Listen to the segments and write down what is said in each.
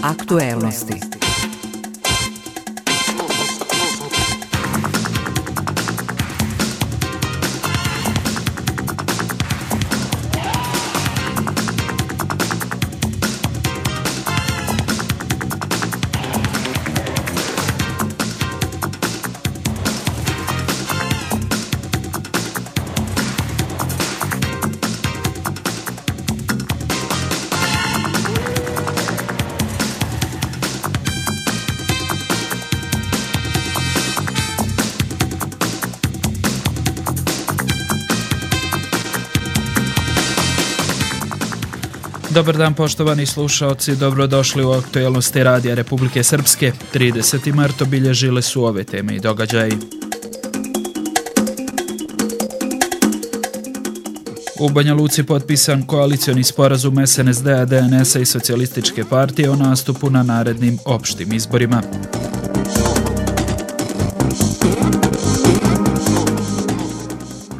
Aktuelnosti. Dobar dan poštovani slušaoci, dobrodošli u Aktuelnosti Radija Republike Srpske. 30. mart obilježile su ove teme i događaji. U Banja Luci potpisan koalicioni sporazum SNSD-a, DNS-a i Socijalističke partije o nastupu na narednim opštim izborima.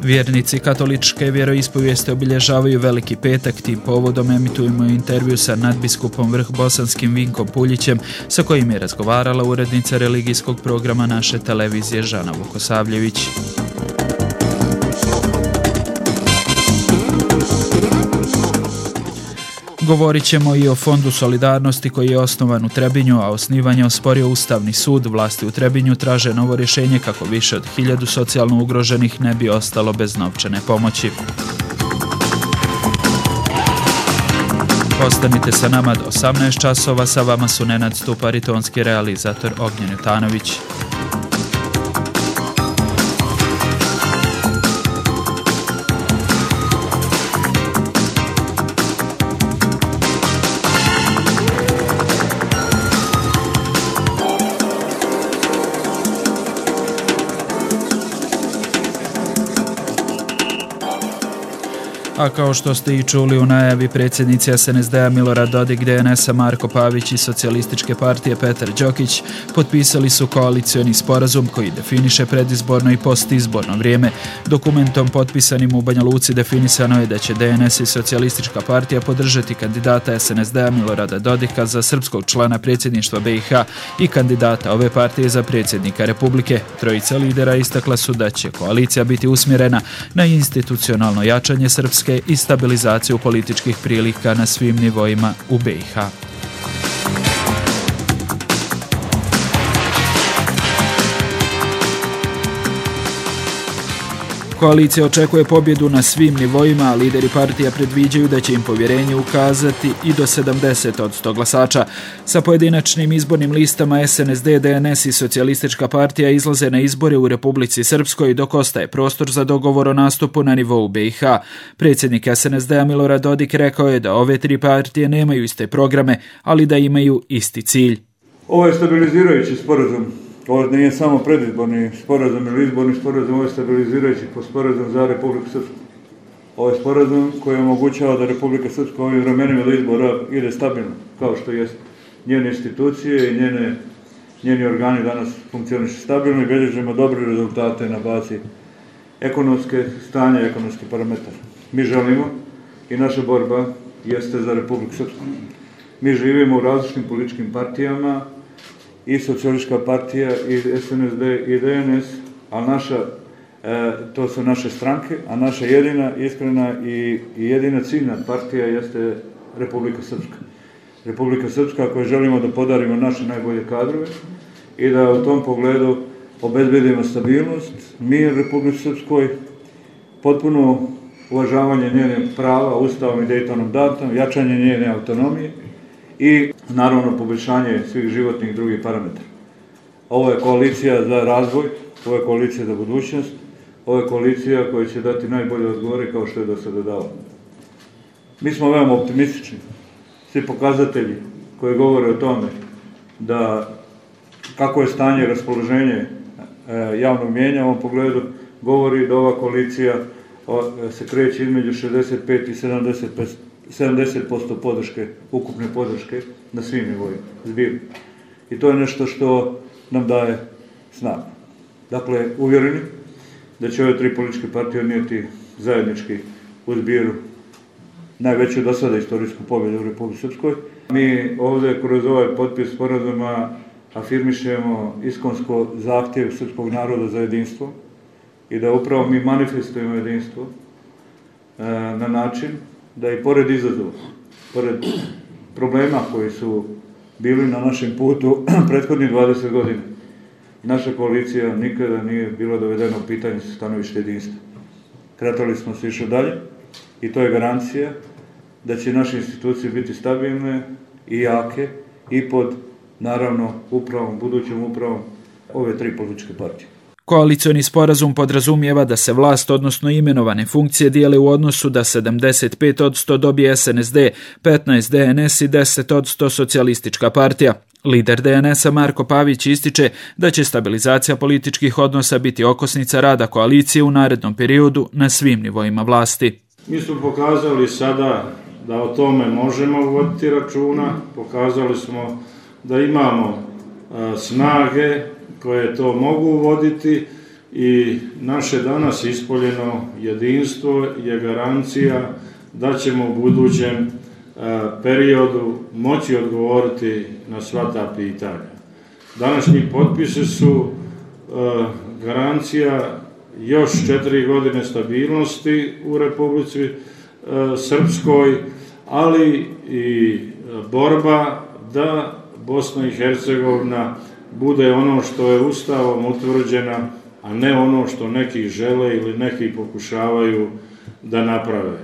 Vjernici katoličke vjeroispovijesti obilježavaju Veliki petak. Tim povodom emitujemo intervju sa nadbiskupom Vrhbosanskim Vinkom Puljićem, sa kojim je razgovarala urednica religijskog programa naše televizije Žana Vukosavljević. Govorit ćemo i o Fondu solidarnosti koji je osnovan u Trebinju, a osnivanje osporio Ustavni sud. Vlasti u Trebinju traže novo rješenje kako više od 1000 socijalno ugroženih ne bi ostalo bez novčane pomoći. Ostanite sa nama do 18 časova, sa vama su Nenad Stupar i tonski realizator Ognjen Jutanović. A kao što ste i čuli u najavi, predsjednici SNSD-a Milorad Dodik, DNS-a Marko Pavić i Socijalističke partije Petar Đokić potpisali su koalicioni sporazum koji definiše predizborno i postizborno vrijeme. Dokumentom potpisanim u Banja Luci definisano je da će DNS i Socijalistička partija podržati kandidata SNSD-a Milorada Dodika za srpskog člana predsjedništva BiH i kandidata ove partije za predsjednika Republike. Trojica lidera istakla su da će koalicija biti usmjerena na institucionalno jačanje srpske i stabilizaciju političkih prilika na svim nivoima u BiH. Koalicija očekuje pobjedu na svim nivoima, a lideri partija predviđaju da će im povjerenje ukazati i do 70% glasača. Sa pojedinačnim izbornim listama SNSD, DNS i Socijalistička partija izlaze na izbore u Republici Srpskoj, dok ostaje prostor za dogovor o nastupu na nivou BiH. Predsjednik SNSD-a Milorad Dodik rekao je da ove tri partije nemaju iste programe, ali da imaju isti cilj. Ovo je stabilizirajući sporazum. Ovo nije samo predizborni sporazum ili izborni sporazum, ovo je stabilizirajući sporazum za Republiku Srpsku. Ovo je sporazum koji omogućava da Republika Srpska u ovim vremenima do izbora ide stabilno, kao što jest njene institucije i njeni organi danas funkcionišu stabilno i bilježimo dobre rezultate na bazi ekonomske stanja i ekonomskih parametara. Mi želimo i naša borba jeste za Republiku Srpsku. Mi živimo u različitim političkim partijama, i Socijalistička partija, i SNSD, i DNS, a to su naše stranke, a naša jedina, iskrena i jedina ciljna partija jeste Republika Srpska. Republika Srpska koju želimo da podarimo naše najbolje kadrove i da u tom pogledu obezbedimo stabilnost, mir Republike Srpskoj, potpuno uvažavanje njene prava, Ustavom i Dejtonom datom, jačanje njene autonomije i naravno poboljšanje svih životnih i drugih parametara. Ovo je koalicija za razvoj, ovo je koalicija za budućnost, ovo je koalicija koja će dati najbolje odgovore kao što je do sada dala. Mi smo veoma optimistični. Svi pokazatelji koji govore o tome da kako je stanje i raspoloženje javnog mnijenja u ovom pogledu govori da ova koalicija se kreće između 65 i 70% podrške, ukupne podrške na svim nivoima, zbirno. I to je nešto što nam daje snagu. Dakle, uvjereni da će ove tri političke partije odnijeti zajednički u zbiru najveću do sada istorijsku pobjedu u Republici Srpskoj. Mi ovdje kroz ovaj potpis sporazuma afirmišemo iskonsko zahtjev srpskog naroda za jedinstvo i da upravo mi manifestujemo jedinstvo na način da i pored izazova, pored problema koji su bili na našem putu prethodnih 20 godina, naša koalicija nikada nije bila dovedena u pitanje sa stanovište jedinstva. Kretali smo se išli dalje i to je garancija da će naše institucije biti stabilne i jake i pod, naravno, budućom upravom ove tri političke partije. Koalicioni sporazum podrazumijeva da se vlast, odnosno imenovane funkcije, dijele u odnosu da 75% dobije SNSD, 15% DNS i 10% Socijalistička partija. Lider DNS-a Marko Pavić ističe da će stabilizacija političkih odnosa biti okosnica rada koalicije u narednom periodu na svim nivoima vlasti. Mi smo pokazali sada da o tome možemo voditi računa, pokazali smo da imamo snage koje to mogu voditi i naše danas ispoljeno jedinstvo je garancija da ćemo u budućem periodu moći odgovoriti na sva ta pitanja. Današnji potpisi su garancija još 4 godine stabilnosti u Republici Srpskoj, ali i borba da Bosna i Hercegovina bude ono što je Ustavom utvrđena, a ne ono što neki žele ili neki pokušavaju da naprave.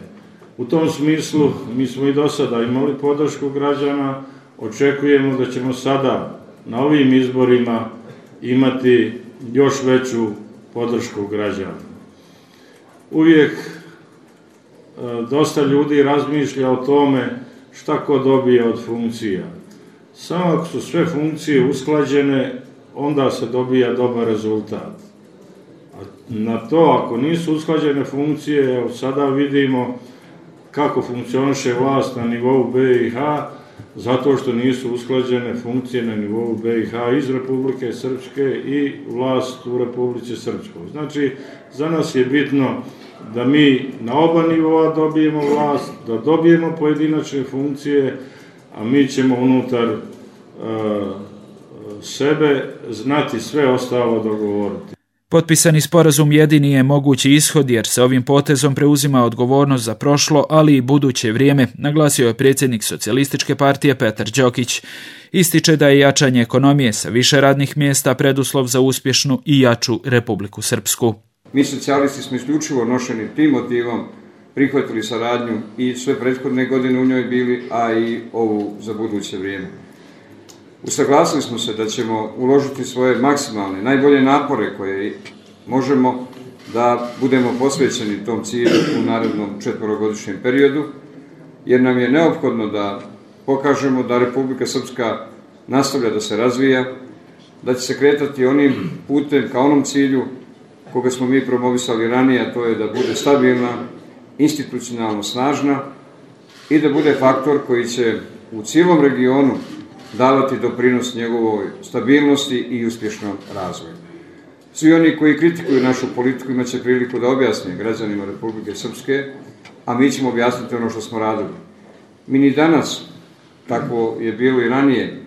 U tom smislu mi smo i do sada imali podršku građana, očekujemo da ćemo sada na ovim izborima imati još veću podršku građana. Uvijek dosta ljudi razmišlja o tome šta ko dobije od funkcija. Samo ako su sve funkcije usklađene, onda se dobija dobar rezultat. A na to, ako nisu usklađene funkcije, evo sada vidimo kako funkcioniše vlast na nivou BiH, zato što nisu usklađene funkcije na nivou BiH iz Republike Srpske i vlast u Republici Srpskoj. Znači, za nas je bitno da mi na oba nivoa dobijemo vlast, da dobijemo pojedinačne funkcije, a mi ćemo unutar sebe znati sve ostalo dogovoriti. Potpisani sporazum jedini je mogući ishod jer se ovim potezom preuzima odgovornost za prošlo, ali i buduće vrijeme, naglasio je predsjednik Socijalističke partije Petar Đokić. Ističe da je jačanje ekonomije sa više radnih mjesta preduslov za uspješnu i jaču Republiku Srpsku. Mi socijalisti smo isključivo nošeni tim motivom prihvatili saradnju i sve prethodne godine u njoj bili, a i ovu za buduće vrijeme. Usaglasili smo se da ćemo uložiti svoje maksimalne, najbolje napore koje možemo da budemo posvećeni tom cilju u narednom 4-godišnjem periodu, jer nam je neophodno da pokažemo da Republika Srpska nastavlja da se razvija, da će se kretati onim putem ka onom cilju koga smo mi promovisali ranije, a to je da bude stabilna, institucionalno snažna i da bude faktor koji će u cijelom regionu davati doprinos njegovoj stabilnosti i uspješnom razvoju. Svi oni koji kritikuju našu politiku imaće priliku da objasne građanima Republike Srpske, a mi ćemo objasniti ono što smo radili. Mi ni danas, tako je bilo i ranije,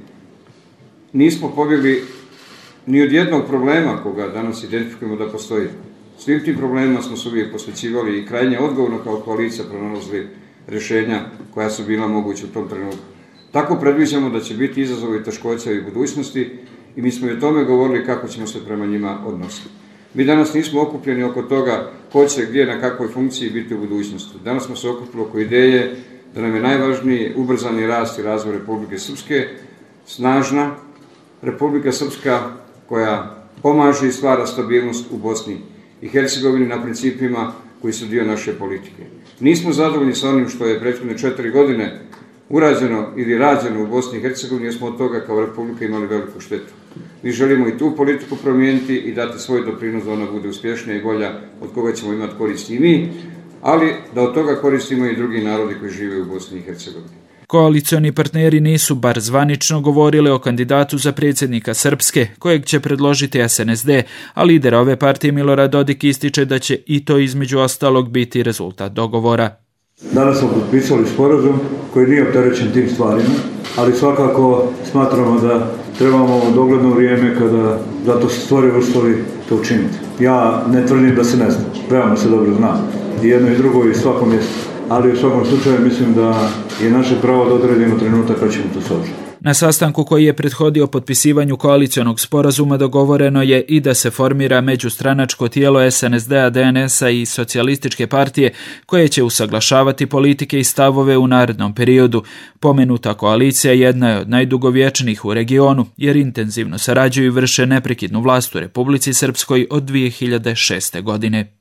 nismo pobjegli ni od jednog problema koga danas identifikujemo da postoji. Svim tim problemima smo se uvijek posvećivali i krajnje odgovorno kao koalicija pronalazili rješenja koja su bila moguća u tom trenutku. Tako predviđamo da će biti izazovi i teškoća i u budućnosti i mi smo i o tome govorili kako ćemo se prema njima odnositi. Mi danas nismo okupljeni oko toga ko će gdje na kakvoj funkciji biti u budućnosti. Danas smo se okupili oko ideje da nam je najvažniji ubrzani rast i razvoj Republike Srpske, snažna Republika Srpska koja pomaže i stvara stabilnost u Bosni i Hercegovini na principima koji su dio naše politike. Nismo zadovoljni sa onim što je prethodne 4 godine urađeno ili rađeno u Bosni i Hercegovini, jer smo od toga kao Republika imali veliku štetu. Mi želimo i tu politiku promijeniti i dati svoj doprinos da ona bude uspješnija i bolja, od koga ćemo imati koristi i mi, ali da od toga koristimo i drugi narodi koji žive u Bosni i Hercegovini. Koalicioni partneri nisu bar zvanično govorili o kandidatu za predsjednika Srpske, kojeg će predložiti SNSD, a lider ove partije Milorad Dodik ističe da će i to između ostalog biti rezultat dogovora. Danas smo potpisali sporazum koji nije opterećen tim stvarima, ali svakako smatramo da trebamo u dogledno vrijeme kada zato se stvore uslovi to učiniti. Ja ne tvrdim da se ne zna, veoma se dobro zna i jedno i drugo i svako mjesto, ali u svakom slučaju mislim da je naše pravo da odredimo trenutak kad ćemo to složiti. Na sastanku koji je prethodio potpisivanju koalicionog sporazuma dogovoreno je i da se formira međustranačko tijelo SNSD-a, DNS-a i Socijalističke partije koje će usaglašavati politike i stavove u narednom periodu. Pomenuta koalicija jedna je od najdugovječnijih u regionu jer intenzivno sarađuju i vrše neprekidnu vlast u Republici Srpskoj od 2006. godine.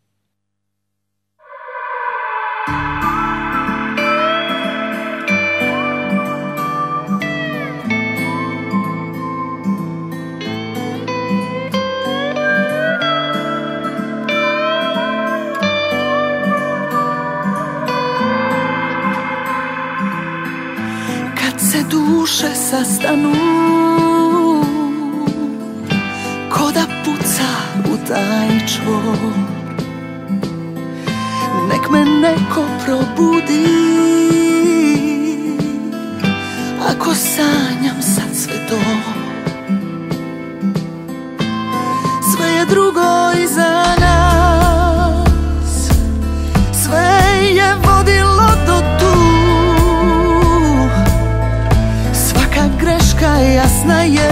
Duše sastanu ko da puca u taj čvor, nek me neko probudi ako sanjam sad sve to. Sve je drugo iza nas, sve je vodilo do tu. Greška jasna je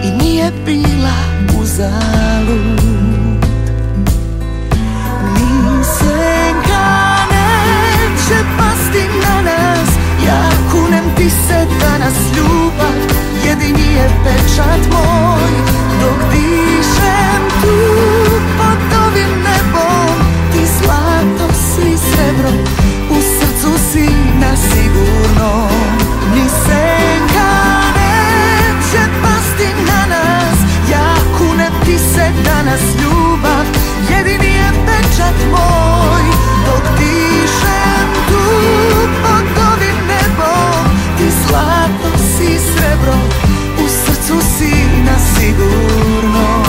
i nije bila uzalud. Ni senka neće pasti na nas, ja kunem ti se danas ljubav, jedini je pečat moj. Dok dišem tu pod ovim nebom, ti zlato si srebro, u srcu si na sigurno. Ni senka neće pasti na nas, ja kunem ti se danas ljubav, jedini je pečat moj. Dok dišem tu pod ovim nebom, ti zlato si srebro, u srcu si na sigurno.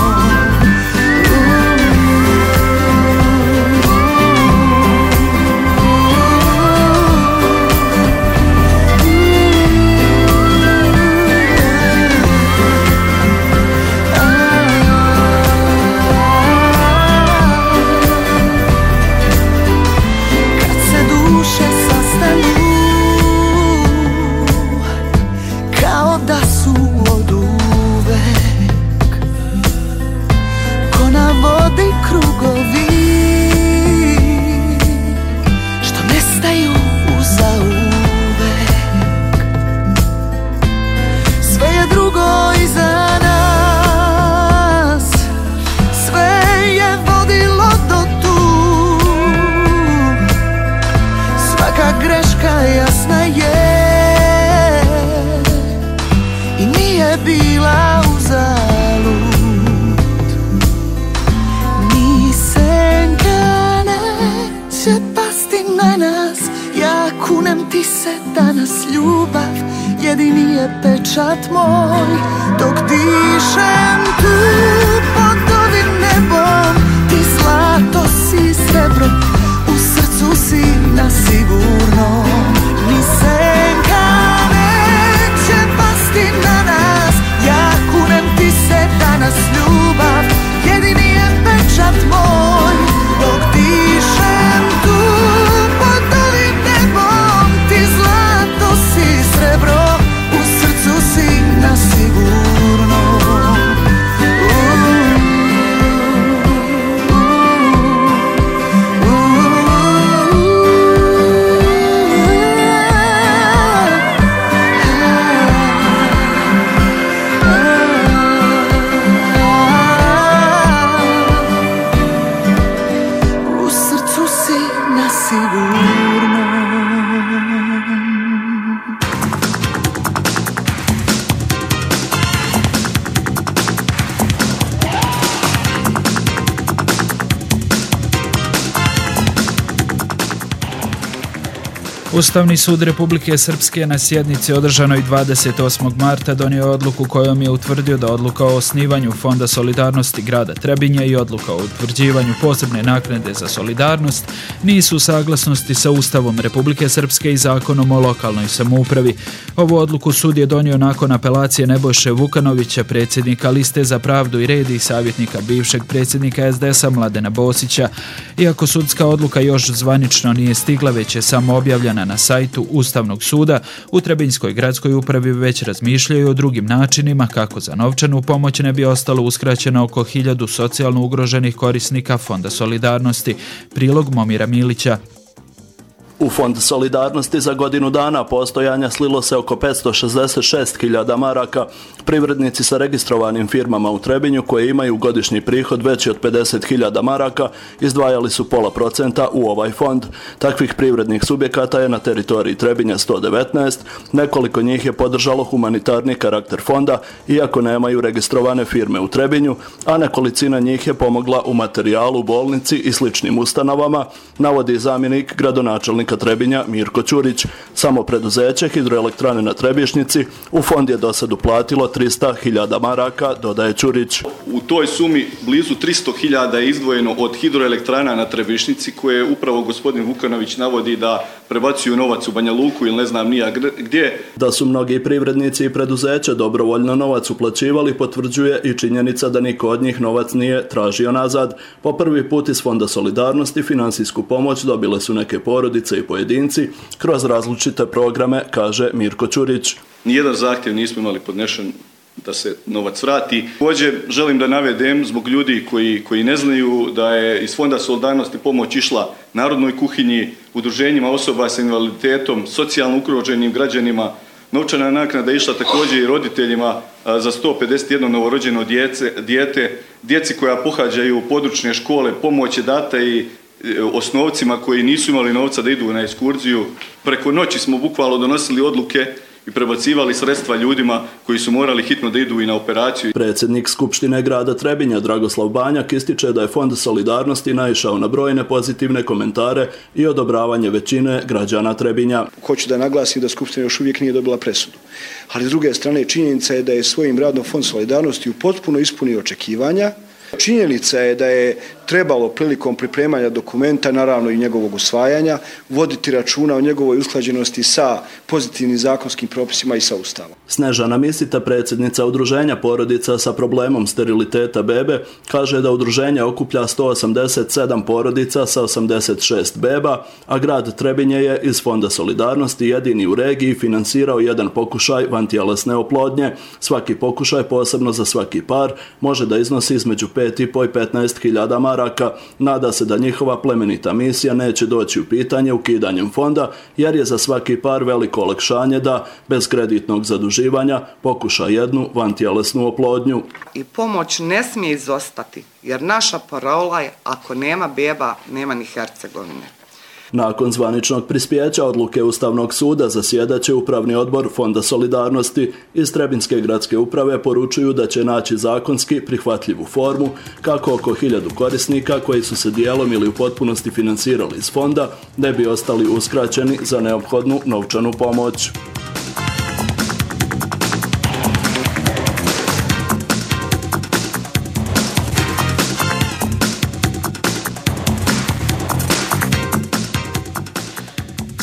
Jedini je pečat moj, dok dišem tu pod ovim nebom, ti zlato si srebro, u srcu si na sigurno. Ni senka neće pasti na nas, ja kunem ti se danas ljubav, jedini je pečat moj, dok dišem tu pod ovim nebom, ti zlato si srebro, na sigurno. U srcu si na sigurno. Ustavni sud Republike Srpske na sjednici održanoj 28. marta donio odluku kojom je utvrdio da odluka o osnivanju Fonda solidarnosti grada Trebinje i odluka o utvrđivanju posebne naknade za solidarnost nisu u saglasnosti sa Ustavom Republike Srpske i Zakonom o lokalnoj samoupravi. Ovu odluku sud je donio nakon apelacije Nebojše Vukanovića, predsjednika Liste za pravdu i red i savjetnika bivšeg predsjednika SDS-a Mladena Bosića. Iako sudska odluka još zvanično nije stigla, već je samo objavljena na sajtu Ustavnog suda, u Trebinjskoj gradskoj upravi već razmišljaju o drugim načinima kako za novčanu pomoć ne bi ostalo uskraćeno oko 1000 socijalno ugroženih korisnika Fonda solidarnosti. Prilog Momira Milića. U Fond solidarnosti za godinu dana postojanja slilo se oko 566.000 maraka. Privrednici sa registrovanim firmama u Trebinju koje imaju godišnji prihod veći od 50.000 maraka izdvajali su 0,5% u ovaj fond. Takvih privrednih subjekata je na teritoriji Trebinja 119, nekoliko njih je podržalo humanitarni karakter fonda, iako nemaju registrovane firme u Trebinju, a nekolicina njih je pomogla u materijalu, bolnici i sličnim ustanovama, navodi zamjenik gradonačelnika Trebinja Mirko Ćurić. Samo preduzeće Hidroelektrane na Trebišnjici u fond je do sad uplatilo 300.000 maraka, dodaje Ćurić. U toj sumi blizu 300.000 je izdvojeno od Hidroelektrana na Trebišnjici, koje upravo gospodin Vukanović navodi da prebacuju novac u Banja Luku ili ne znam nija gdje. Da su mnogi privrednici i preduzeća dobrovoljno novac uplaćivali potvrđuje i činjenica da niko od njih novac nije tražio nazad. Po prvi put iz Fonda solidarnosti finansijsku pomoć dobile su neke porodice i pojedinci kroz različite programe, kaže Mirko Ćurić. Nijedan zahtjev nismo imali podnešen da se novac vrati. Također želim da navedem zbog ljudi koji ne znaju da je iz Fonda solidarnosti pomoć išla Narodnoj kuhinji, udruženjima osoba sa invaliditetom, socijalno ugroženim građanima. Novčana naknada je išla također i roditeljima za 151 novorođeno dijete, djeci koja pohađaju područne škole. Pomoć je data i osnovcima koji nisu imali novca da idu na ekskurziju. Preko noći smo bukvalno donosili odluke i prebacivali sredstva ljudima koji su morali hitno da idu i na operaciju. Predsjednik Skupštine grada Trebinja Dragoslav Banjak ističe da je Fond solidarnosti naišao na brojne pozitivne komentare i odobravanje većine građana Trebinja. Hoću da naglasim da Skupština još uvijek nije dobila presudu. Ali s druge strane činjenica je da je svojim radom Fond solidarnosti potpuno ispunio očekivanja. Činjenica je da je trebalo prilikom pripremanja dokumenta, naravno i njegovog usvajanja, voditi računa o njegovoj usklađenosti sa pozitivnim zakonskim propisima i sa Ustavom. Snežana Misita, predsjednica udruženja porodica sa problemom steriliteta bebe, kaže da udruženje okuplja 187 porodica sa 86 beba, a grad Trebinje je iz Fonda solidarnosti jedini u regiji finansirao jedan pokušaj vantjelesne oplodnje. Svaki pokušaj, posebno za svaki par, može da iznosi između 5.500 i 15.000 maraka. Nada se da njihova plemenita misija neće doći u pitanje ukidanjem fonda, jer je za svaki par veliko olakšanje da, bez kreditnog zaduživanja, pokuša jednu vantjelesnu oplodnju. I pomoć ne smije izostati, jer naša parola je ako nema beba, nema ni Hercegovine. Nakon zvaničnog prispjeća odluke Ustavnog suda zasjedaće Upravni odbor Fonda solidarnosti. Iz Trebinjske gradske uprave poručuju da će naći zakonski prihvatljivu formu kako oko 1000 korisnika koji su se dijelom ili u potpunosti finansirali iz fonda ne bi ostali uskraćeni za neophodnu novčanu pomoć.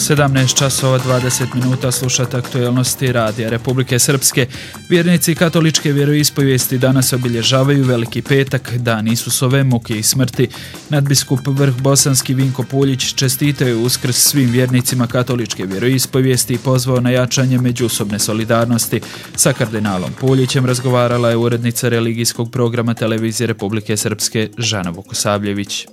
(17:20) slušate aktualnosti Radija Republike Srpske. Vjernici katoličke vjeroispovijesti danas obilježavaju Veliki petak, dan Isusove muke i smrti. Nadbiskup Vrh Bosanski Vinko Puljić čestitao je Uskrs svim vjernicima katoličke vjeroispovijesti i pozvao na jačanje međusobne solidarnosti. Sa kardinalom Puljićem razgovarala je urednica religijskog programa Televizije Republike Srpske Žana Vukosavljević.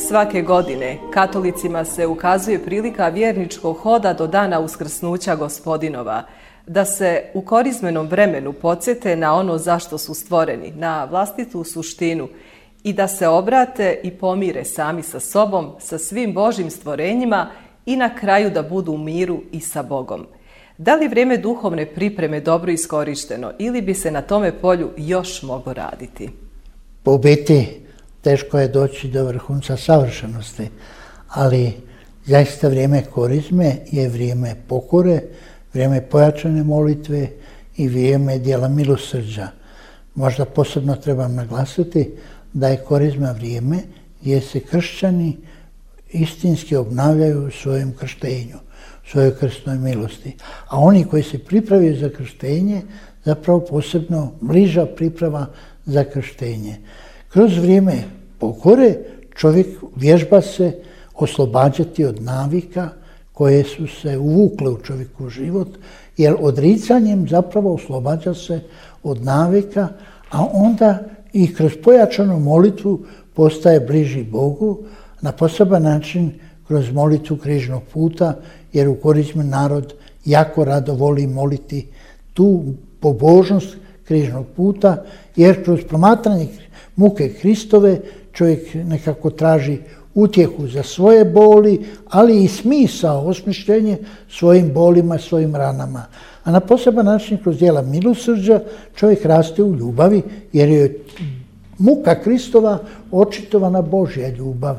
Svake godine katolicima se ukazuje prilika vjerničkog hoda do dana uskrsnuća Gospodinova, da se u korizmenom vremenu podsjete na ono zašto su stvoreni, na vlastitu suštinu i da se obrate i pomire sami sa sobom, sa svim Božjim stvorenjima i na kraju da budu u miru i sa Bogom. Da li vrijeme duhovne pripreme dobro iskorišteno ili bi se na tome polju još moglo raditi? U biti teško je doći do vrhunca savršenosti, ali zaista vrijeme korizme je vrijeme pokore, vrijeme pojačane molitve i vrijeme djela milosrđa. Možda posebno trebam naglasiti da je korizma vrijeme gdje se kršćani istinski obnavljaju u svojem krštenju, svojoj krstnoj milosti. A oni koji se pripravljaju za krštenje, zapravo posebno bliža priprava za krštenje. Kroz vrijeme pokore čovjek vježba se oslobađati od navika koje su se uvukle u čovjeku život, jer odricanjem zapravo oslobađa se od navika, a onda i kroz pojačanu molitvu postaje bliži Bogu, na poseban način kroz molitvu križnog puta, jer u korizmi narod jako rado voli moliti tu pobožnost križnog puta, jer kroz promatranje muke Hristove čovjek nekako traži utjehu za svoje boli, ali i smisao, osmišljenje svojim bolima, svojim ranama. A na poseban način kroz djela milosrđa čovjek raste u ljubavi, jer je muka Hristova očitovana Božja ljubav.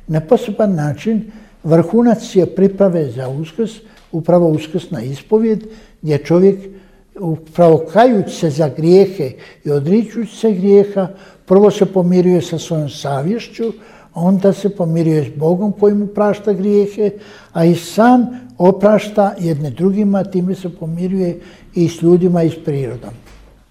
Na poseban način vrhunac je priprave za uskrs, upravo uskrsna ispovjed, gdje čovjek upravo kajući se za grijehe i odričući se grijeha, prvo se pomiruje sa svojom savješću, onda se pomiruje s Bogom koji mu prašta grijehe, a i sam oprašta jedne drugima, time se pomiruje i s ljudima i s prirodom.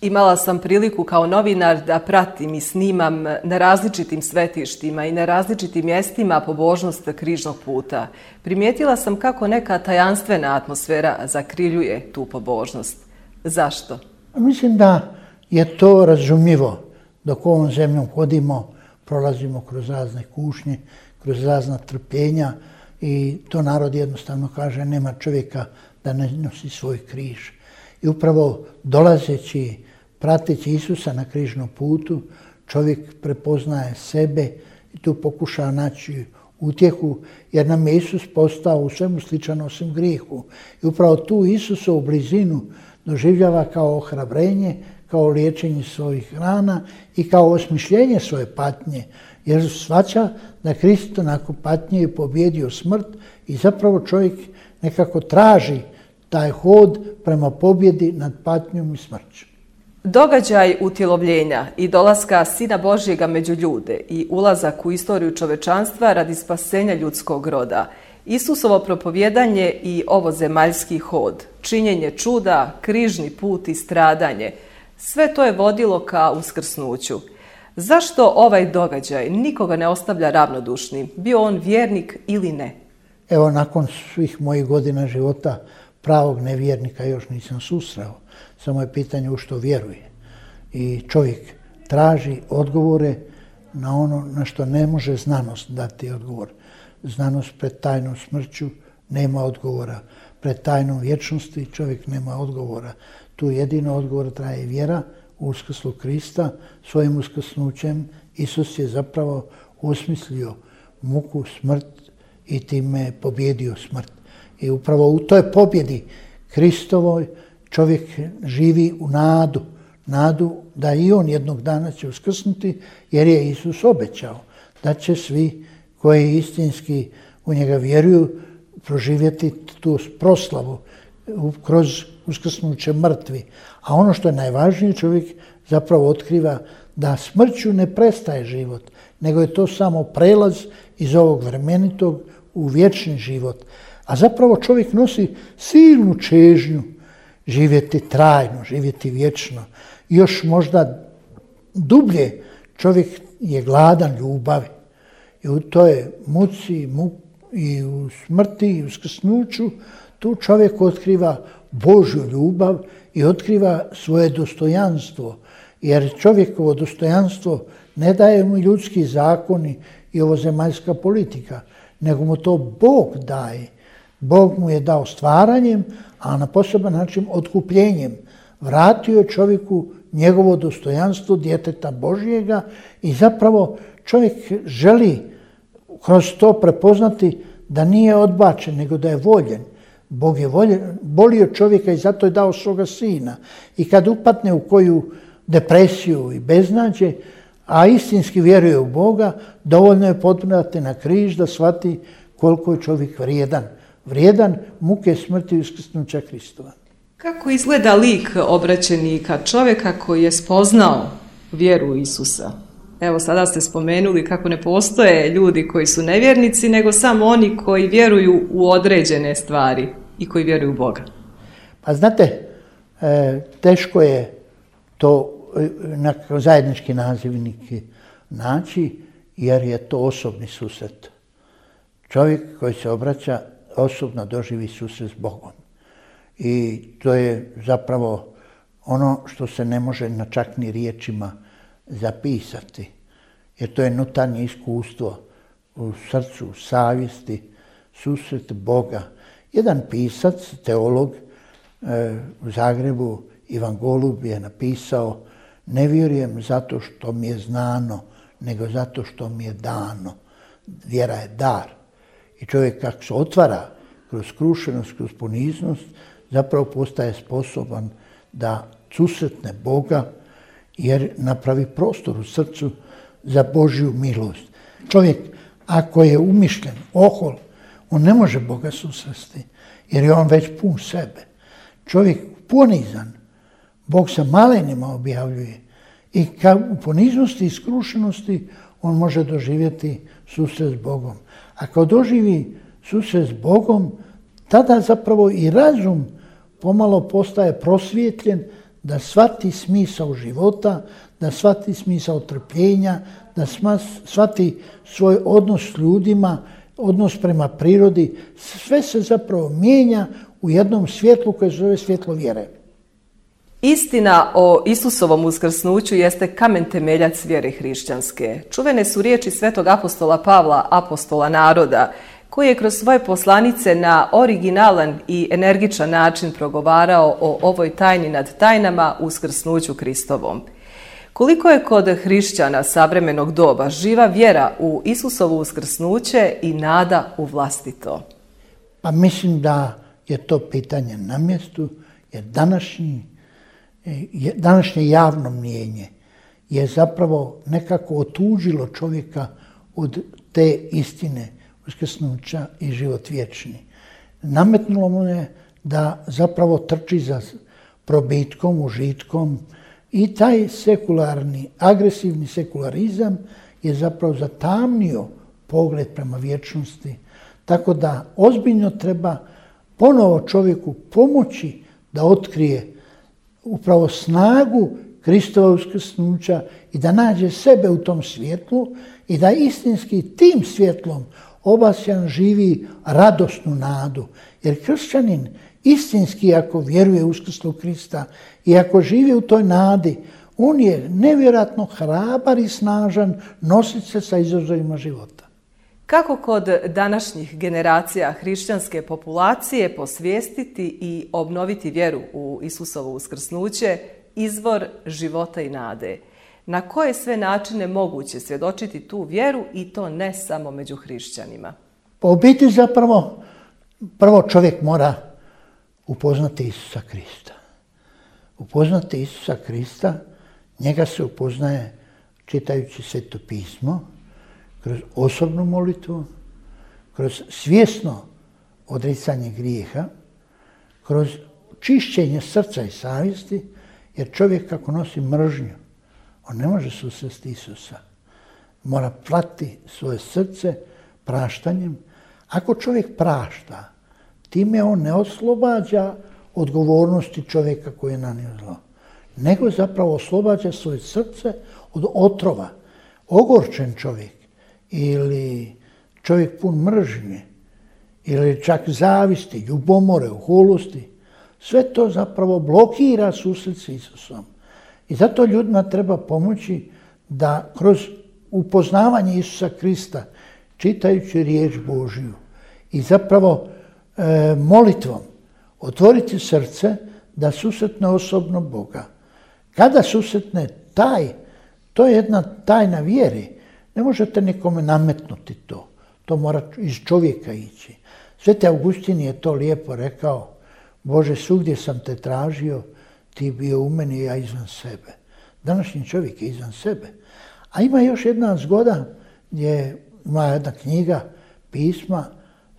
Imala sam priliku kao novinar da pratim i snimam na različitim svetištima i na različitim mjestima pobožnost križnog puta. Primijetila sam kako neka tajanstvena atmosfera zakriljuje tu pobožnost. Zašto? Mislim da je to razumljivo. Dok ovom zemljom hodimo, prolazimo kroz razne kušnje, kroz razna trpljenja i to narod jednostavno kaže nema čovjeka da ne nosi svoj križ. I upravo dolazeći, prateći Isusa na križnom putu, čovjek prepoznaje sebe i tu pokuša naći utjehu, jer nam je Isus postao u svemu sličan osim grijehu. I upravo tu Isusovu blizinu doživljava kao ohrabrenje, kao liječenje svojih rana i kao osmišljenje svoje patnje, jer shvaća da Krist nakon patnje je pobjedio smrt i zapravo čovjek nekako traži taj hod prema pobjedi nad patnjom i smrću. Događaj utjelovljenja i dolaska Sina Božjega među ljude i ulazak u istoriju čovečanstva radi spasenja ljudskog roda, Isusovo propovjedanje i ovozemaljski hod, činjenje čuda, križni put i stradanje, sve to je vodilo ka uskrsnuću. Zašto ovaj događaj nikoga ne ostavlja ravnodušnim, bio on vjernik ili ne? Evo, nakon svih mojih godina života pravog nevjernika još nisam susreo. Samo je pitanje u što vjeruje. I čovjek traži odgovore na ono na što ne može znanost dati odgovor. Znanost pred tajnom smrću nema odgovora. Pred tajnom vječnosti čovjek nema odgovora. Tu jedino odgovor traje vjera u uskrslu Krista. Svojim uskrsnućem Isus je zapravo osmislio muku, smrt i time pobjedio smrt. I upravo u toj pobjedi Kristovoj čovjek živi u nadu da i on jednog dana će uskrsnuti, jer je Isus obećao da će svi koji istinski u njega vjeruju proživjeti tu proslavu kroz uskrsnuće mrtvi. A ono što je najvažnije, čovjek zapravo otkriva da smrću ne prestaje život, nego je to samo prelaz iz ovog vremenitog u vječni život. A zapravo čovjek nosi silnu čežnju živjeti trajno, živjeti vječno. Još možda dublje čovjek je gladan ljubavi. I u toj muci i u smrti i u uskrsnuću tu čovjek otkriva Božju ljubav i otkriva svoje dostojanstvo. Jer čovjekovo dostojanstvo ne daje mu ljudski zakoni i ovozemaljska politika, nego mu to Bog daje. Bog mu je dao stvaranjem, a na poseban način otkupljenjem. Vratio čovjeku njegovo dostojanstvo djeteta Božjega i zapravo čovjek želi kroz to prepoznati da nije odbačen, nego da je voljen. Bog je volio čovjeka i zato je dao svoga sina. I kad upadne u koju depresiju i beznađe, a istinski vjeruje u Boga, dovoljno je potpunati na križ da shvati koliko je čovjek vrijedan. Vrijedan muke smrti i uskrsnuća Kristova. Kako izgleda lik obraćenika, čovjeka koji je spoznao vjeru Isusa? Evo, sada ste spomenuli kako ne postoje ljudi koji su nevjernici, nego samo oni koji vjeruju u određene stvari i koji vjeruju u Boga. Pa znate, teško je to na zajednički nazivnik naći, jer je to osobni susret. Čovjek koji se obraća osobno doživi susret s Bogom. I to je zapravo ono što se ne može na čak ni riječima zapisati. Jer to je unutarnje iskustvo u srcu, u savjesti, susret Boga. Jedan pisac, teolog u Zagrebu, Ivan Golub, je napisao: ne vjerujem zato što mi je znano, nego zato što mi je dano. Vjera je dar. I čovjek kako se otvara kroz skrušenost, kroz poniznost, zapravo postaje sposoban da susretne Boga, jer napravi prostor u srcu za Božju milost. Čovjek, ako je umišljen, ohol, on ne može Boga susresti, jer je on već pun sebe. Čovjek ponizan, Bog se malenima objavljuje i u poniznosti i skrušenosti on može doživjeti susret s Bogom. A kad doživi susret s Bogom, tada zapravo i razum pomalo postaje prosvjetljen da shvati smisao života, da shvati smisao trpljenja, da shvati svoj odnos s ljudima, odnos prema prirodi. Sve se zapravo mijenja u jednom svjetlu koje se zove svjetlo vjere. Istina o Isusovom uskrsnuću jeste kamen temeljac vjere hrišćanske. Čuvene su riječi svetog apostola Pavla, apostola naroda, koji je kroz svoje poslanice na originalan i energičan način progovarao o ovoj tajni nad tajnama, uskrsnuću Kristovom. Koliko je kod hrišćana savremenog doba živa vjera u Isusovo uskrsnuće i nada u vlastito? Pa mislim da je to pitanje na mjestu, jer današnje javno mnijenje je zapravo nekako otuđilo čovjeka od te istine uskrsnuća i život vječni. Nametnulo mu je da zapravo trči za probitkom, užitkom i taj sekularni, agresivni sekularizam je zapravo zatamnio pogled prema vječnosti. Tako da ozbiljno treba ponovo čovjeku pomoći da otkrije upravo snagu Kristova uskrsnuća i da nađe sebe u tom svjetlu i da istinski tim svjetlom obasjan živi radosnu nadu. Jer kršćanin istinski, ako vjeruje u uskrslu Krista i ako živi u toj nadi, on je nevjerojatno hrabar i snažan nosit se sa izazovima života. Kako kod današnjih generacija hrišćanske populacije posvijestiti i obnoviti vjeru u Isusovo uskrsnuće, izvor života i nade? Na koje sve načine moguće svjedočiti tu vjeru i to ne samo među hrišćanima? Pa u biti zapravo prvo čovjek mora upoznati Isusa Krista. Upoznati Isusa Krista, njega se upoznaje čitajući Sveto pismo, kroz osobnu molitvu, kroz svjesno odricanje grijeha, kroz čišćenje srca i savjesti, jer čovjek kako nosi mržnju, on ne može susresti Isusa. Mora plati svoje srce praštanjem. Ako čovjek prašta, time on ne oslobađa odgovornosti čovjeka koji je nanio zlo, nego zapravo oslobađa svoje srce od otrova. Ogorčen čovjek ili čovjek pun mržnje ili čak zavisti, ljubomore, oholosti, sve to zapravo blokira susret s Isusom. I zato ljudima treba pomoći da kroz upoznavanje Isusa Krista, čitajući riječ Božju i zapravo molitvom otvoriti srce da susretne osobno Boga. Kada susretne to je jedna tajna vjere. Ne možete nikome nametnuti to. To mora iz čovjeka ići. Sveti Augustin je to lijepo rekao. Bože, svugdje sam te tražio, ti bio u meni i ja izvan sebe. Današnji čovjek je izvan sebe. A ima još jedna zgoda gdje ima jedna knjiga, pisma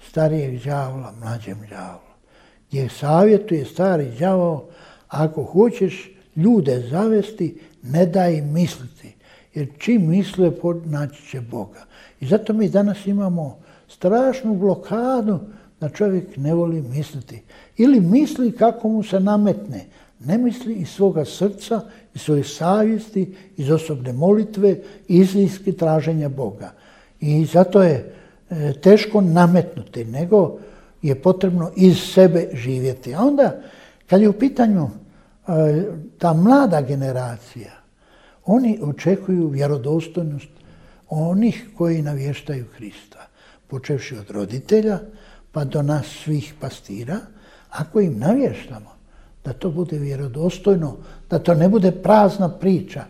starijeg đavola, mlađem đavolu, gdje savjetuje stari đavao, ako hoćeš ljude zavesti, ne daj im misliti, jer čim misle naći će Boga. I zato mi danas imamo strašnu blokadu da čovjek ne voli misliti. Ili misli kako mu se nametne. Ne misli iz svoga srca, iz svoje savjesti, iz osobne molitve, istinski traženja Boga. I zato je teško nametnuti, nego je potrebno iz sebe živjeti. A onda, kad je u pitanju ta mlada generacija, oni očekuju vjerodostojnost onih koji navještaju Krista, počevši od roditelja pa do nas svih pastira. Ako im navještamo, da to bude vjerodostojno, da to ne bude prazna priča.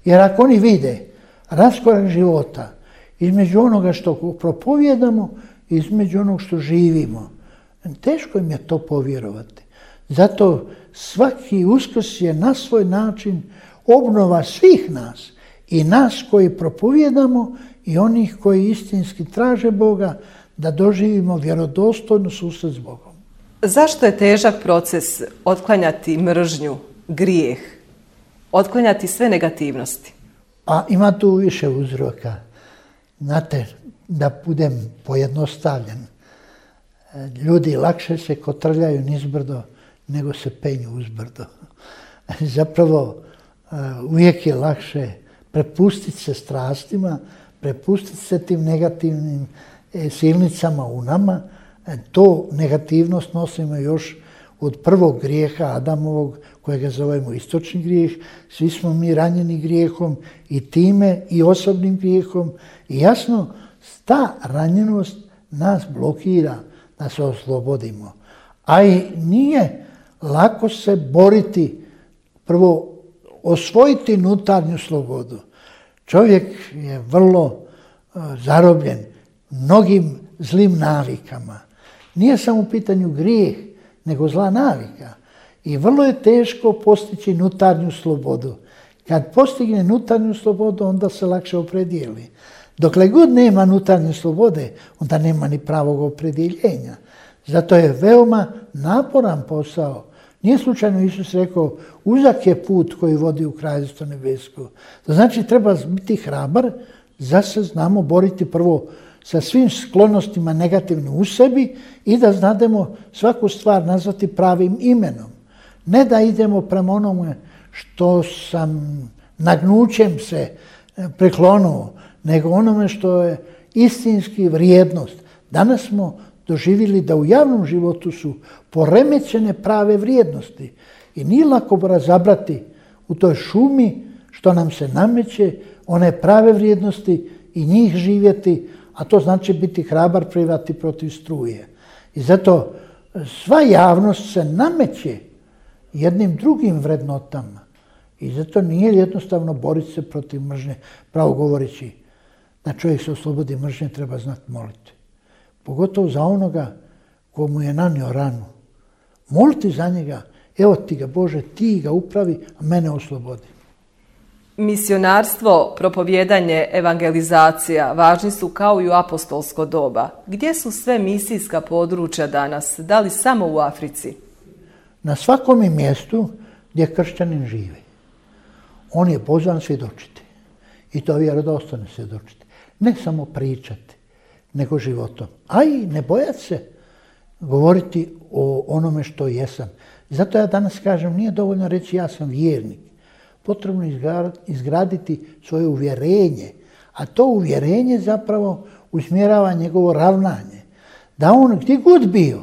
Jer ako oni vide raskorak života između onoga što propovijedamo i između onog što živimo, teško im je to povjerovati. Zato svaki Uskrs je na svoj način obnova svih nas, i nas koji propovijedamo i onih koji istinski traže Boga, da doživimo vjerodostojno susret s Bogom. Zašto je težak proces otklanjati mržnju, grijeh, otklanjati sve negativnosti? A ima tu više uzroka. Znate, da budem pojednostavljen, ljudi lakše se kotrljaju nizbrdo nego se penju uzbrdo. Zapravo, uvijek je lakše prepustiti se strastima, prepustiti se tim negativnim silnicama u nama. To negativnost nosimo još od prvog grijeha Adamovog, kojega zovemo istočni grijeh. Svi smo mi ranjeni grijehom i time i osobnim grijehom. I jasno, ta ranjenost nas blokira da se oslobodimo. A i nije lako se boriti, prvo osvojiti unutarnju slobodu. Čovjek je vrlo zarobljen mnogim zlim navikama. Nije samo u pitanju grijeh, nego zla navika. I vrlo je teško postići unutarnju slobodu. Kad postigne unutarnju slobodu, onda se lakše opredijeli. Dokle god nema unutarnje slobode, onda nema ni pravog opredjeljenja. Zato je veoma naporan posao. Nije slučajno Isus rekao, uzak je put koji vodi u Kraljevstvo nebesko. To znači treba biti hrabar, da se znamo boriti prvo sa svim sklonostima negativnim u sebi i da znademo svaku stvar nazvati pravim imenom. Ne da idemo prema onome što sam nagnućem se priklonuo, nego onome što je istinski vrijednost. Danas smo doživjeli da u javnom životu su poremećene prave vrijednosti i nije lako razabrati u toj šumi što nam se nameće one prave vrijednosti i njih živjeti, a to znači biti hrabar plivati protiv struje. I zato sva javnost se nameće jednim drugim vrednotama i zato nije jednostavno boriti se protiv mržnje. Pravo govoreći, da čovjek se oslobodi mržnje treba znati moliti. Pogotovo za onoga ko mu je nanio ranu. Moliti za njega, evo ti ga Bože, ti ga upravi, a mene oslobodi. Misionarstvo, propovijedanje, evangelizacija važni su kao i u apostolsko doba. Gdje su sve misijska područja danas? Da li samo u Africi? Na svakom mjestu gdje kršćanin živi. On je pozvan svjedočiti. I to vjerodostojno svjedočiti. Ne samo pričati, nego životom. A i ne bojati se govoriti o onome što jesam. Zato ja danas kažem, nije dovoljno reći ja sam vjernik. Potrebno izgraditi svoje uvjerenje, a to uvjerenje zapravo usmjerava njegovo ravnanje. Da on gdje god bio,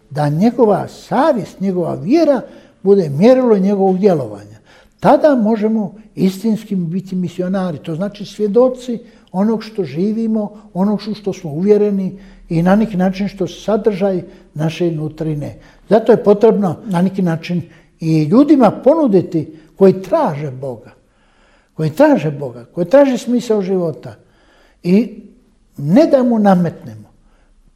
da njegova savjest, njegova vjera bude mjerilo njegovog djelovanja. tada možemo istinski biti misionari. To znači svjedoci onog što živimo, onog što smo uvjereni i na neki način što sadržaj naše nutrine. Zato je potrebno na neki način i ljudima ponuditi koji traže Boga, koji traže smisao života i ne da mu nametnemo.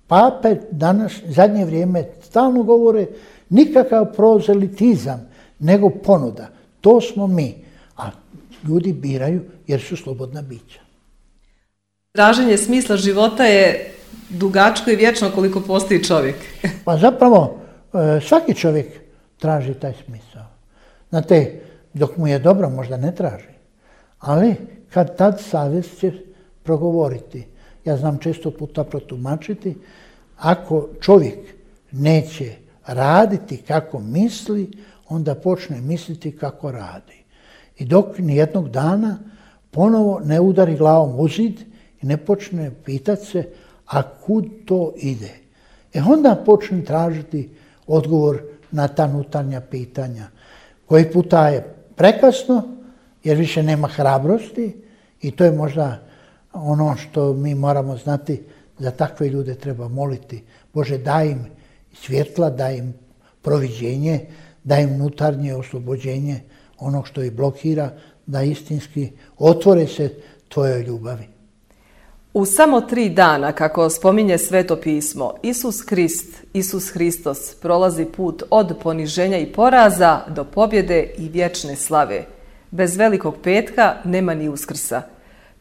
Pape danas, zadnje vrijeme, stalno govore nikakav prozelitizam, nego ponuda. To smo mi, a ljudi biraju jer su slobodna bića. Traženje smisla života je dugačko i vječno koliko postoji čovjek. Pa zapravo svaki čovjek traži taj smisao. Znate, dok mu je dobro možda ne traži, ali kad tad savjest će progovoriti. Ja znam često puta protumačiti, ako čovjek neće raditi kako misli, onda počne misliti kako radi. I dok nijednog dana ponovo ne udari glavom u zid i ne počne pitati se, a kud to ide? Onda počne tražiti odgovor na ta unutarnja pitanja. Koji puta je prekasno, jer više nema hrabrosti i to je možda ono što mi moramo znati, za takve ljude treba moliti. Bože, daj im svjetla, daj im proviđenje, daj im unutarnje oslobođenje onog što ih blokira, da istinski otvore se tvojoj ljubavi. U samo 3 dana, kako spominje Sveto pismo, Isus Hristos prolazi put od poniženja i poraza do pobjede i vječne slave. Bez Velikog petka nema ni Uskrsa.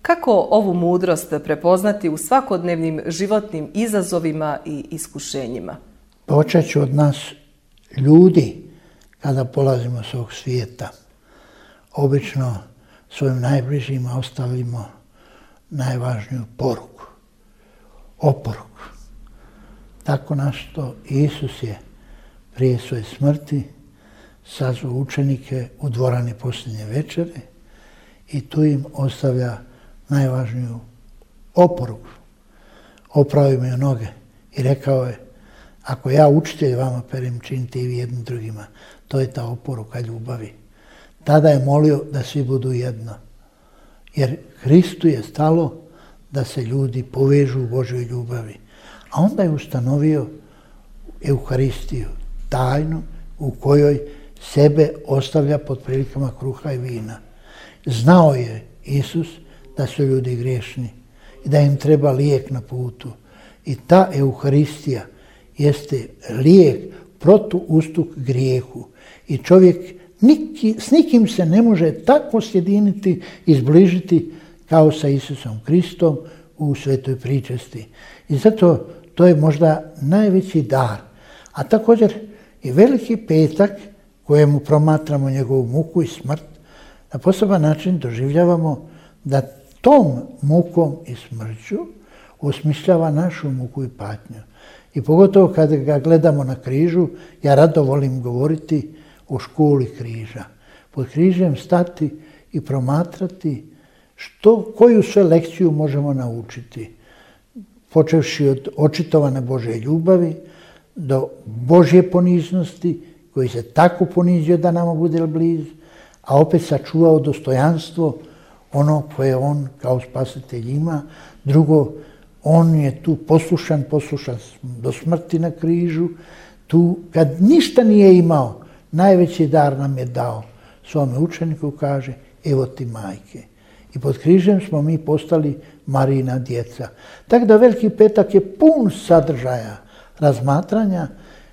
Kako ovu mudrost prepoznati u svakodnevnim životnim izazovima i iskušenjima? Počet ću od nas ljudi kada polazimo s ovog svijeta. Obično svojim najbližima ostavimo najvažniju poruku, oporuku. Tako našto Isus je prije svoje smrti sazvao učenike u dvorani posljednje večere i tu im ostavlja najvažniju oporuku. Opravio mi noge i rekao je, ako ja učitelj vama perem, činite i vi jednim drugima. To je ta oporuka ljubavi. Tada je molio da svi budu jedno. Jer Hristu je stalo da se ljudi povežu u Božoj ljubavi. A onda je ustanovio Euharistiju, tajnu u kojoj sebe ostavlja pod prilikama kruha i vina. Znao je Isus da su ljudi griješni i da im treba lijek na putu. I ta Euharistija jeste lijek protuustuk grijehu. I čovjek s nikim se ne može tako sjediniti i zbližiti kao sa Isusom Kristom u svetoj pričesti. I zato to je možda najveći dar. A također i Veliki petak kojemu promatramo njegovu muku i smrt, na poseban način doživljavamo da tom mukom i smrću osmišljava našu muku i patnju. I pogotovo kad ga gledamo na križu, ja rado volim govoriti o školi križa. Pod križem stati i promatrati koju sve lekciju možemo naučiti. Počevši od očitovane Božje ljubavi do Božje poniznosti, koji se tako ponizio da nama bude blizu, a opet sačuvao dostojanstvo ono koje on kao spasitelj ima. Drugo, on je tu poslušan do smrti na križu. Tu kad ništa nije imao, najveći dar nam je dao. Svome učeniku kaže, evo ti majke. I pod križem smo mi postali Marijina djeca. Tako da Veliki petak je pun sadržaja, razmatranja,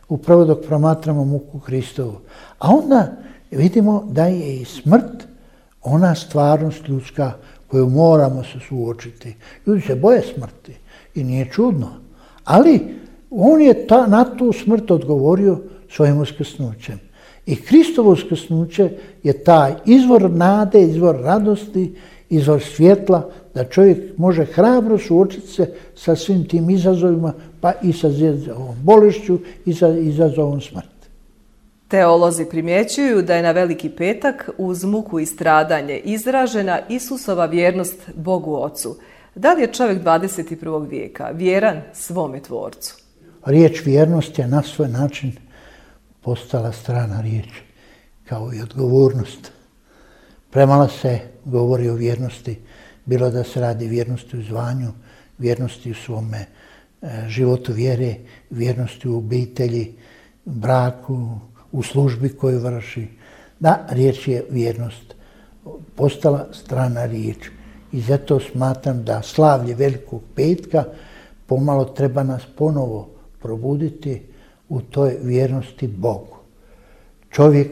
upravo dok promatramo muku Hristovu. A onda vidimo da je i smrt ona stvarnost ljudska koju moramo se suočiti. Ljudi se boje smrti i nije čudno. Ali on je na tu smrt odgovorio svojim uskrsnućem. I Kristovo uskrsnuće je taj izvor nade, izvor radosti, izvor svjetla, da čovjek može hrabro suočiti se sa svim tim izazovima, pa i sa ovom bolešću i sa izazovom smrti. Teolozi primjećuju da je na Veliki petak uz muku i stradanje izražena Isusova vjernost Bogu Ocu. Da li je čovjek 21. vijeka vjeran svome Tvorcu? Riječ vjernost je na svoj način postala strana riječ, kao i odgovornost. Premalo se govori o vjernosti, bilo da se radi vjernosti u zvanju, vjernosti u svome životu vjere, vjernosti u obitelji, braku, u službi koju vrši. Da, riječ je vjernost. Postala strana riječ. I zato smatram da slavlje Velikog petka pomalo treba nas ponovo probuditi u toj vjernosti Bogu. Čovjek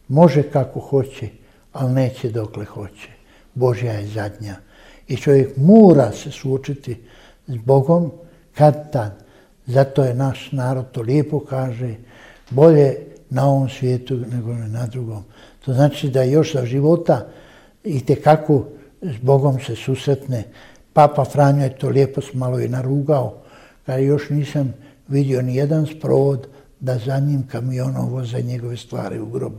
može kako hoće, ali neće dokle hoće. Božja je zadnja. I čovjek mora se suočiti s Bogom kad tad. Zato je naš narod to lijepo kaže, bolje na ovom svijetu nego na drugom. To znači da još za života itekako s Bogom se susretne. Papa Franjo je to lijepo malo i narugao, kada još nisam vidio ni jedan sprovod da za njim kamionom voze njegove stvari u grob.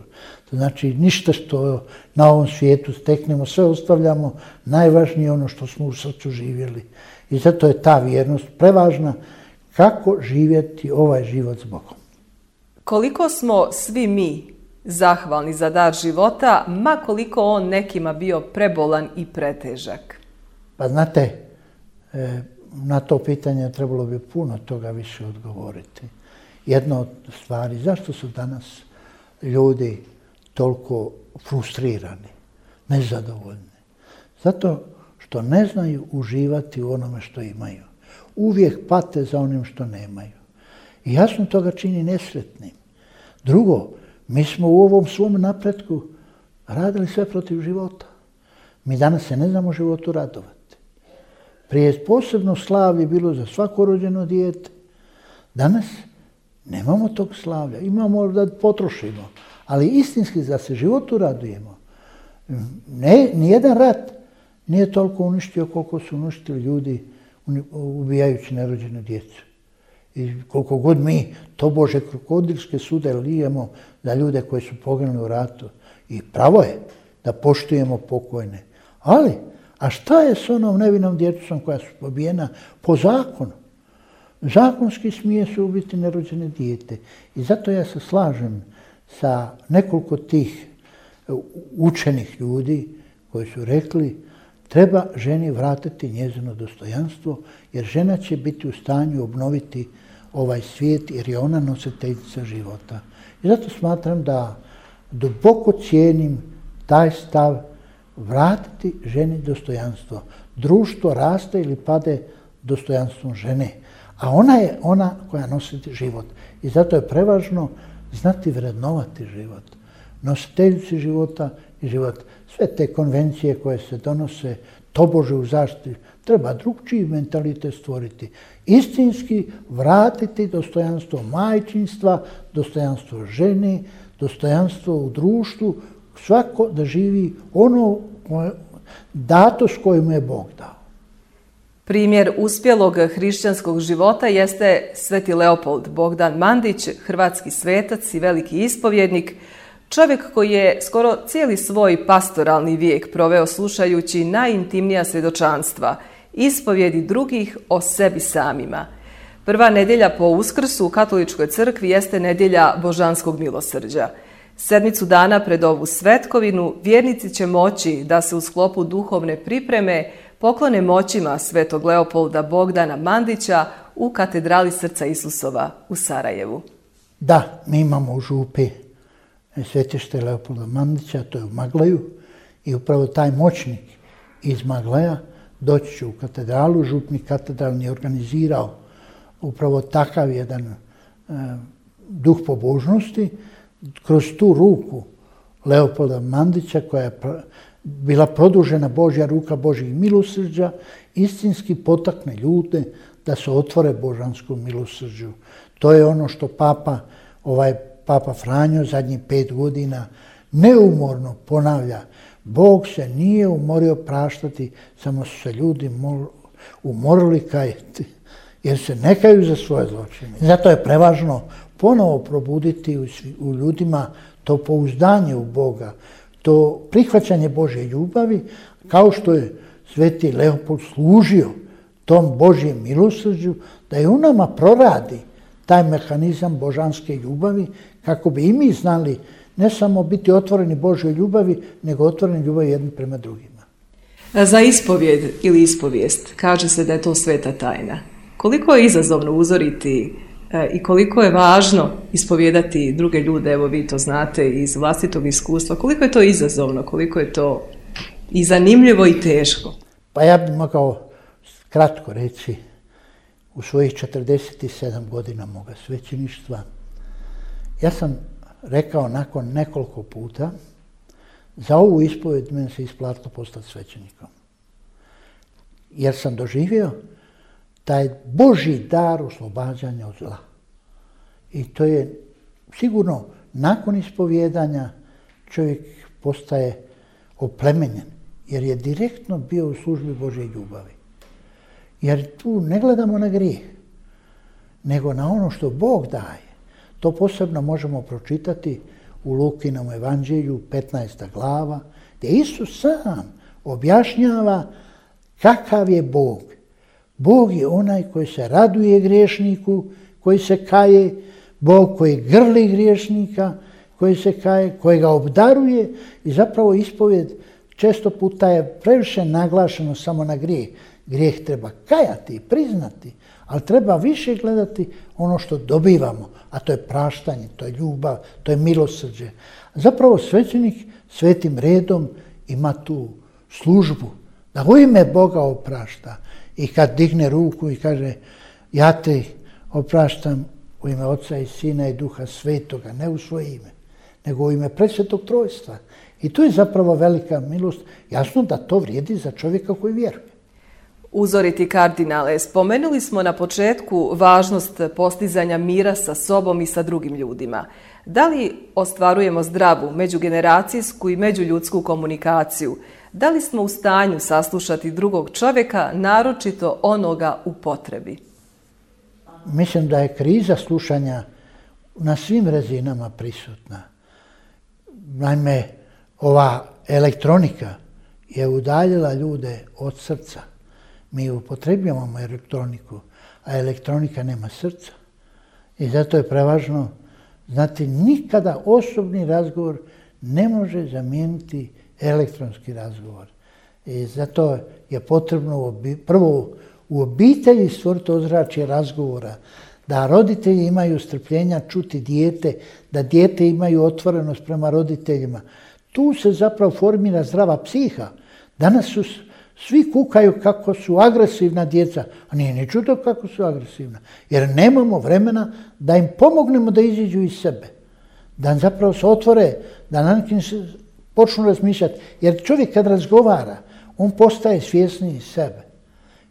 To znači ništa što na ovom svijetu steknemo, sve ostavljamo, najvažnije ono što smo u srcu živjeli. I zato je ta vjernost prevažna, kako živjeti ovaj život s Bogom. Koliko smo svi mi zahvalni za dar života, ma koliko on nekima bio prebolan i pretežak? Pa znate, na to pitanje trebalo bi puno toga više odgovoriti. Jedna od stvari, zašto su danas ljudi toliko frustrirani, nezadovoljni? Zato što ne znaju uživati u onome što imaju. Uvijek pate za onim što nemaju. I jasno toga čini nesretnim. Drugo, mi smo u ovom svom napretku radili sve protiv života. Mi danas se ne znamo životu radovati. Prije posebno slavlje bilo za svako rođeno dijete. Danas nemamo tog slavlja. Imamo da potrošimo. Ali istinski da se životu radujemo. Nijedan rat nije toliko uništio koliko su uništili ljudi ubijajući nerođenu djecu. I koliko god mi tobože krokodilske sude lijemo za ljude koji su poginuli u ratu. I pravo je da poštujemo pokojne. Ali, a šta je s onom nevinom djecom koja su pobijena po zakonu? Zakonski smije se ubiti nerođene dijete. I zato ja se slažem sa nekoliko tih učenih ljudi koji su rekli treba ženi vratiti njezino dostojanstvo, jer žena će biti u stanju obnoviti ovaj svijet, jer je ona nositeljica života. I zato smatram da duboko cijenim taj stav vratiti ženi dostojanstvo. Društvo raste ili pade dostojanstvom žene, a ona je ona koja nosi život. I zato je prevažno znati vrednovati život. Nositeljici života i život. Sve te konvencije koje se donose tobože u zaštiti, treba drugčiji mentalitet stvoriti. Istinski vratiti dostojanstvo majčinstva, dostojanstvo žene, dostojanstvo u društvu, svako da živi ono datost koju mu je Bog dao. Primjer uspjelog hrišćanskog života jeste sveti Leopold Bogdan Mandić, hrvatski svetac i veliki ispovjednik, čovjek koji je skoro cijeli svoj pastoralni vijek proveo slušajući najintimnija svjedočanstva, ispovjedi drugih o sebi samima. Prva nedjelja po Uskrsu u katoličkoj crkvi jeste nedjelja Božanskog milosrđa. 7 dana pred ovu svetkovinu vjernici će moći da se u sklopu duhovne pripreme poklone moćima svetog Leopolda Bogdana Mandića u katedrali Srca Isusova u Sarajevu. Da, mi imamo u župi svetište Leopolda Mandića, to je u Maglaju, i upravo taj moćnik iz Maglaja doći će u katedralu. Župnik katedralni je organizirao upravo takav jedan duh pobožnosti. Kroz tu ruku Leopolda Mandića, koja je bila produžena Božja ruka Božjih milosrđa, istinski potakne ljude da se otvore božanskom milosrđu. To je ono što Papa Franjo zadnjih 5 godina neumorno ponavlja. Bog se nije umorio praštati, samo su se ljudi umorili kajati, jer se ne kaju za svoje zločine. Zato je prevažno ponovo probuditi u ljudima to pouzdanje u Boga, to prihvaćanje Božje ljubavi, kao što je sveti Leopold služio tom Božjem milosrđu, da je u nama proradi taj mehanizam božanske ljubavi, kako bi i mi znali ne samo biti otvoreni Božoj ljubavi, nego otvoreni ljubavi jedni prema drugima. Za ispovjed ili ispovijest kaže se da je to sveta tajna. Koliko je izazovno uzoriti i koliko je važno ispovjedati druge ljude, evo vi to znate iz vlastitog iskustva, koliko je to izazovno, koliko je to i zanimljivo i teško? Pa ja bih mogao kratko reći, u svojih 47 godina moga svećeništva, ja sam rekao nakon nekoliko puta, za ovu ispovjed meni se isplatilo postati svećenikom. Jer sam doživio taj Božji dar oslobađanja od zla. I to je sigurno nakon ispovjedanja čovjek postaje oplemenjen, jer je direktno bio u službi Božje ljubavi. Jer tu ne gledamo na grijeh, nego na ono što Bog daje. To posebno možemo pročitati u Lukinom evanđelju, 15. glava, gdje Isus sam objašnjava kakav je Bog. Bog je onaj koji se raduje griješniku, koji se kaje, Bog koji grli griješnika, koji se kaje, koji ga obdaruje i zapravo ispovjed često puta je previše naglašeno samo na grijeh. Grijeh treba kajati i priznati, ali treba više gledati ono što dobivamo, a to je praštanje, to je ljubav, to je milosrđe. Zapravo svećenik svetim redom ima tu službu, da u ime Boga oprašta. I kad digne ruku i kaže ja te opraštam u ime Oca i Sina i Duha Svetoga, ne u svoje ime, nego u ime Presvetog Trojstva. I to je zapravo velika milost. Jasno da to vrijedi za čovjeka koji vjeruje. Uzoriti kardinale, spomenuli smo na početku važnost postizanja mira sa sobom i sa drugim ljudima. Da li ostvarujemo zdravu međugeneracijsku i međuljudsku komunikaciju? Da li smo u stanju saslušati drugog čovjeka, naročito onoga u potrebi? Mislim da je kriza slušanja na svim razinama prisutna. Naime, ova elektronika je udaljila ljude od srca. Mi upotrebljavamo elektroniku, a elektronika nema srca. I zato je prevažno znati, nikada osobni razgovor ne može zamijeniti elektronski razgovor. I zato je potrebno prvo u obitelji stvoriti ozračje razgovora, da roditelji imaju strpljenja čuti dijete, da dijete imaju otvorenost prema roditeljima. Tu se zapravo formira zdrava psiha. Danas svi kukaju kako su agresivna djeca, a nije ni čudo kako su agresivna, jer nemamo vremena da im pomognemo da iziđu iz sebe, da zapravo se otvore, da na neki počnu razmišljati. Jer čovjek kad razgovara, on postaje svjesniji sebe.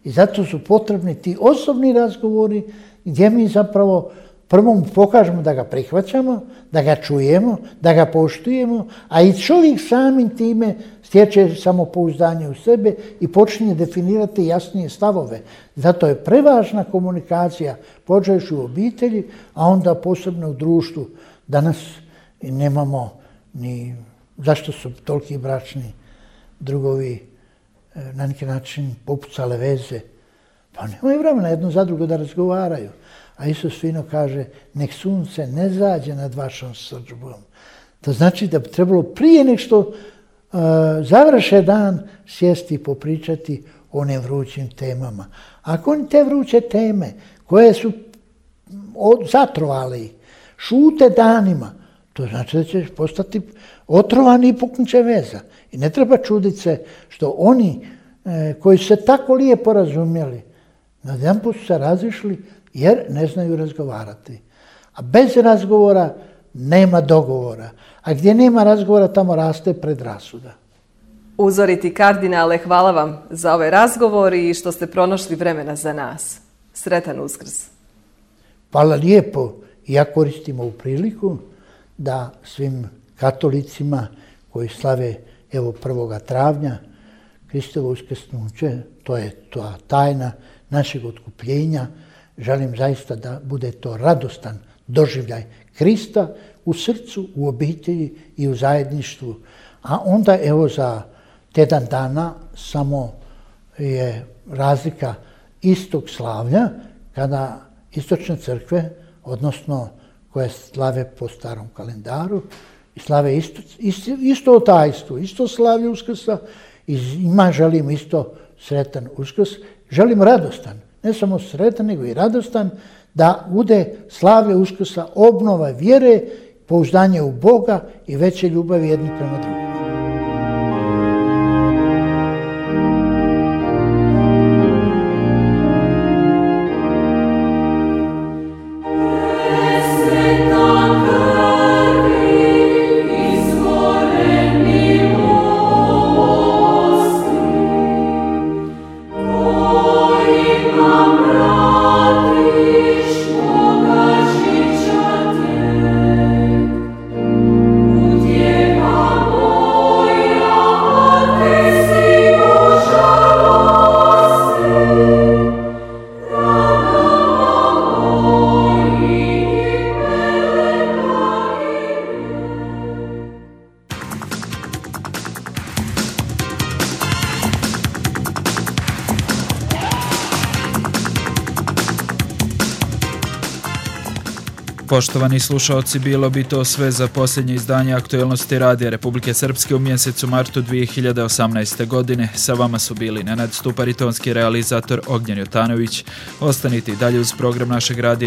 I zato su potrebni ti osobni razgovori gdje mi zapravo prvo mu pokažemo da ga prihvaćamo, da ga čujemo, da ga poštujemo, a i čovjek samim time stječe samopouzdanje u sebe i počinje definirati jasnije stavove. Zato je prevažna komunikacija, počevši u obitelji, a onda posebno u društvu. Danas nemamo ni zašto su toliki bračni drugovi na neki način popucale veze. Pa nemaju vremena jedno za drugo da razgovaraju. A Isus fino kaže, nek sunce ne zađe nad vašom srdžbom. To znači da bi trebalo prije nek što završe dan sjesti i popričati o onim vrućim temama. Ako oni te vruće teme koje su zatrovali, šute danima, to znači da će postati otrovani i puknuće veza. I ne treba čuditi se što oni koji su se tako lijepo razumjeli, najedanput su se razišli jer ne znaju razgovarati. A bez razgovora nema dogovora. A gdje nema razgovora, tamo raste predrasuda. Uzoriti kardinale, hvala vam za ovaj razgovor i što ste pronašli vremena za nas. Sretan Uskrs. Hvala lijepo. Ja koristim ovu priliku da svim katolicima koji slave evo 1. travnja Kristovo uskrsnuće, to je ta tajna našeg otkupljenja. Želim zaista da bude to radostan doživljaj Krista u srcu, u obitelji i u zajedništvu. A onda evo za tjedan dana samo je razlika istog slavlja kada istočne crkve, odnosno koje slave po starom kalendaru, i slave isto tajstvo, isto slavlje Uskrsa i njima želim isto sretan Uskrs. Želim radostan, ne samo sretan, nego i radostan, da bude slavlje Uskrsa obnova vjere, pouzdanje u Boga i veće ljubavi jedni prema drugima. Poštovani slušaoci, bilo bi to sve za posljednje izdanje aktualnosti Radija Republike Srpske u mjesecu martu 2018. godine. Sa vama su bili Nenad Stupar i tonski realizator Ognjen Jotanović. Ostanite i dalje uz program našeg radija.